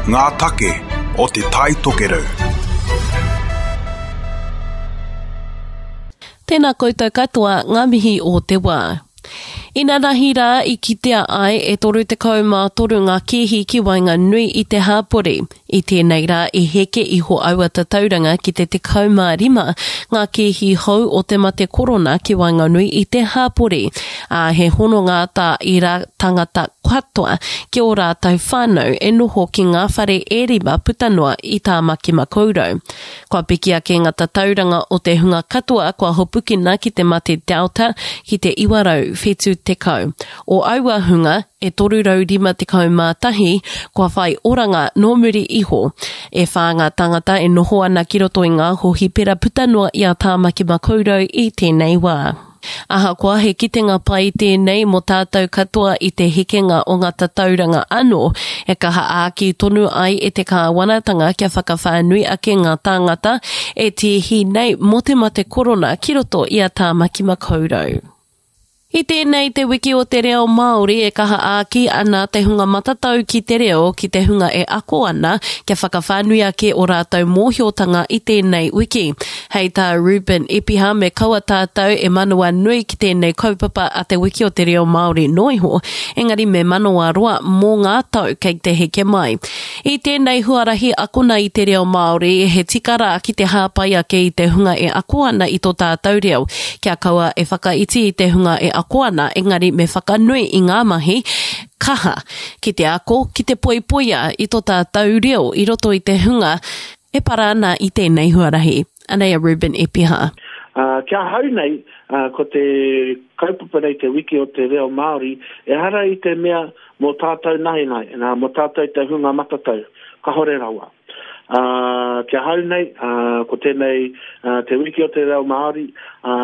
Ngā take o Te Tai Tokerau. Tēnā koutou katoa, ngā mihi o te wā. Inanahi rā i kitea ai e 33 ngā kēhi ki waenganui i te hāpori. I tēnei rā i heke iho aua tatauranga ki te 15 ngā kēhi hou o te mate korona ki waenganui i te hāpori, ā, he hononga tā ira tangata katoa ki ō rātou whānau e noho ki ngā whare e rima puta noa i Tāmaki Makaurau. Kua piki ake ngā tatauranga o te hunga katoa kua hopukina ki te mate Delta ki te 970. O aua hunga, e 351 kua whai oranga nō muri iho. E whā ngā tāngata e noho ana ki roto i ngā hōhipera puta noa i a Tāmaki Makaurau i tēnei wā. Ahakoa he kitenga pai tēnei mō tātou katoa i te hekenga o ngā tatauranga anō, e kaha āki tonu ai e te kāwanatanga kia whakawhānui ake ngā tāngata e tīhi nei mō te mate korona ki roto i a Tāmaki Makaurau. I tēnei Te Wiki o te Reo Māori e kaha āki ana te hunga matatau ki te reo ki te hunga e ako ana kia whakawhānui ake ō rātou mōhiotanga i tēnei wiki. Hei tā Reuben Epiha me kaua tātou e manawanui ki tēnei kaupapa a Te Wiki o te Reo Māori noa iho, engari me manawaroa mō ngā tau kei te heke mai. I tēnei huarahi akona i te reo Māori, he tika rā ki te hāpai ake i te hunga e ako ana i tō tātou reo. Kia kaua e whakaiti i te hunga e ako ana, engari me whakanui i ngā mahi kaha ki te ako, ki te poipoia i tō tātou reo i roto i te hunga e para ana i tēnei huarahi. Anei a Reuben Epiha. Ā, ki ahau nei, ā, ko te kaupapa nei, Te Wiki o te Reo Māori, ehara i te mea mō tātou nahenahe, nā, mō tātou te hunga matatau, kahore rawa. Ā, ki ahau nei, ā, ko tēnei, ā, Te Wiki o te Reo Māori, ā,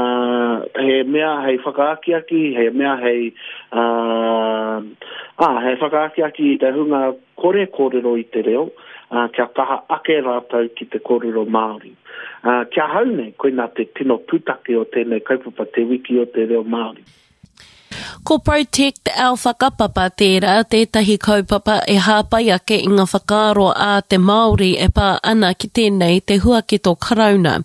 he mea hei whakaakiaki, he mea hei, ā, ā, hei whakaakiaki i te hunga kore kōrero i te reo, ā, kia kaha ake rātou ki te kōrero Māori. Ā, ki ahau nei, koinā te tino pūtake o tēnei kaupapa, Te Wiki o te Reo Māori. Ko Protect Our Whakapapa tērā tētahi kaupapa e hāpai ake i ngā whakaaro a te Māori e pā ana ki tēnei te huaketo Karauna.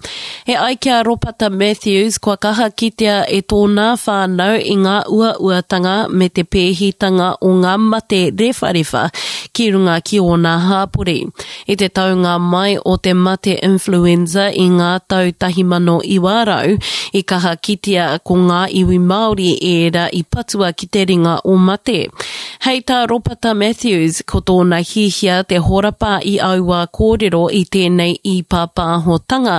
E ai ki a Ropata Matthews, kua kaha kitea e tōnā whānau i ngā uauatanga me te pēhitanga o ngā mate rewharewha ki runga ki ōna hāpori. I te taunga mai o te mate influenza i ngā tau 1900, i kaha kitea ko ngā iwi Māori ērā i patua ki te ringa o mate. Hei tā Ropata Matthews, ko tōna hiahia te horapa i aua kōrero i tēnei īpāpāhotanga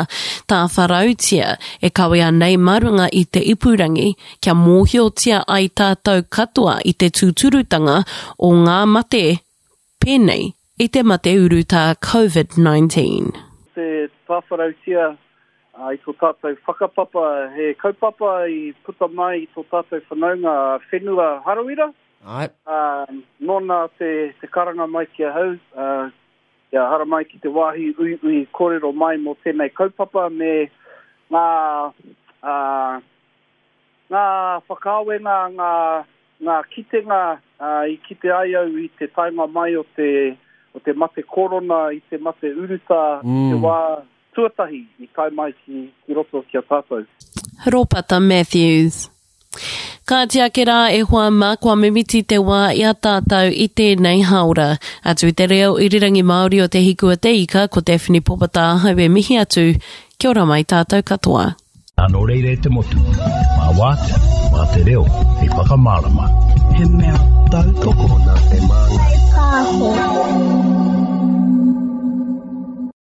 tāwharautia e kawea nei mā runga i te ipurangi kia mōhiotia ai tātou katoa i te tūturutanga o ngā mate pēnei i te mate urutā Covid-19. Te tāwharautia i tō tātou whakapapa, he kaupapa i puta mai i tō tātou whanaunga a Whenua Harawira. Āe. Ā, nōna te, te karanga mai ki ahau, ā, kia haramai ki te wāhi uiui kōrero mai mō tēnei kaupapa me ngā, ā, ngā whakaawenga, ngā, ngā kitenga, ā, i kite ai au i te taenga mai o te, o te mate korona, i te mate urutā, i te wā tuatahi i tae mai ki, ki roto ki a tātou. Ropata Matthews. Kāti ake rā e hoa mā, kua mimiti te wā i a tātou i tēnei hāora. Atu i te reo irirangi Māori o Te Hiku a Te Ika, ko Daphne Popata ahau e mihi atu, kia ora mai tātou katoa. Nō reira e te motu, mā Wātea, mā te reo hei whakamārama. He mea tautoko.